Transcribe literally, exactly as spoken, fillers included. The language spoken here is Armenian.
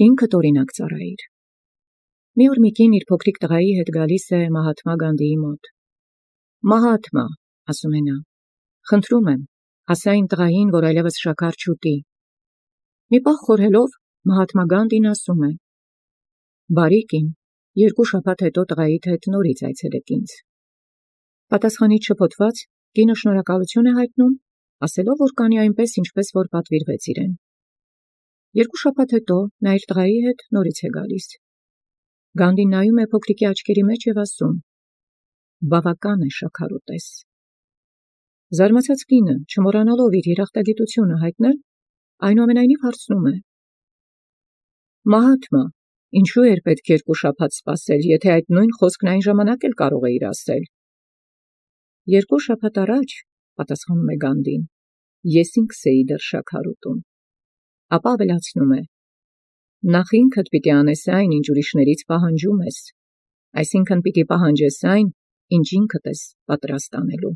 ինքդ օրինակ ծառայիր։ Մի օր մի կին իր փոքրիկ տղայի հետ գալիս է Մահաթմա Գանդիի մոտ։ Մահաթմա, ասում է նա, խնդրում եմ, ասա այն տղային, որ այլևս շաքար չուտի։ Մի պահ խորհելով, Մահաթմա Գանդին ասում է. բարի կին, երկու շաբաթ հետո տղայիդ հետ նորից այցելեք ինձ։ Պատասխանից շփոթված, կինը շնորհակալություն է հայտնում, ասելով, որ կանի այնպես, ինչպես որ պատվիրվեց իրեն։ Երկու շաբաթ հետո նա իր տղայի հետ նորից է գալիս։ Գանդին նայում է փոքրիկի աչքերի մեջ և ասում. բավական է շաքար ուտես։ Զարմացած կինը, չմոռանալով իր երախտագիտությունը հայտնել, այնուամենայնիվ հարցնում է. Մահաթմա, ինչու էր պետք երկու շաբաթ սպասել, եթե այդ նույն խոսքն այն ժամանակ էլ կարող էիր ասել։ Երկու շաբաթ առաջ, պատասխանում է Գանդին, ես ինքս էի դեռ շաքար ուտում։ Ապա ավելացնում է. նախ ինքդ պիտի անես այն, ինչ ուրիշներից պահանջում ես, այսինքն պիտի պահանջես այն, ինչ ինքդ ես պատրաստ անելու։